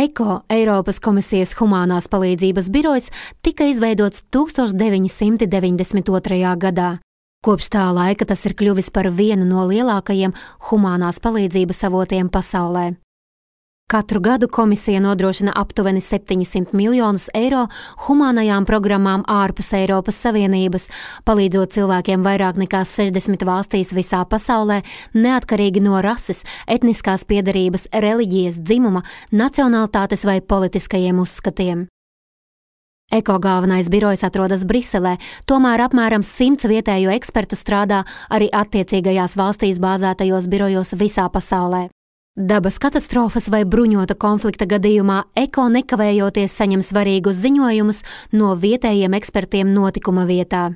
ECO, Eiropas komisijas humānās palīdzības birojs, tika izveidots 1992. gadā. Kopš tā laika tas ir kļuvis par vienu no lielākajiem humānās palīdzības avotiem pasaulē. Katru gadu komisija nodrošina aptuveni 700 miljonus eiro humānajām programmām ārpus Eiropas Savienības, palīdzot cilvēkiem vairāk nekā 60 valstīs visā pasaulē, neatkarīgi no rases, etniskās piederības, reliģijas, dzimuma, nacionalitātes vai politiskajiem uzskatiem. ECO galvenais birojs atrodas Briselē, tomēr apmēram 100 vietējo ekspertu strādā arī attiecīgajās valstīs bāzētajos birojos visā pasaulē. Dabas katastrofas vai bruņota konflikta gadījumā ECO nekavējoties saņem svarīgus ziņojumus no vietējiem ekspertiem notikuma vietā.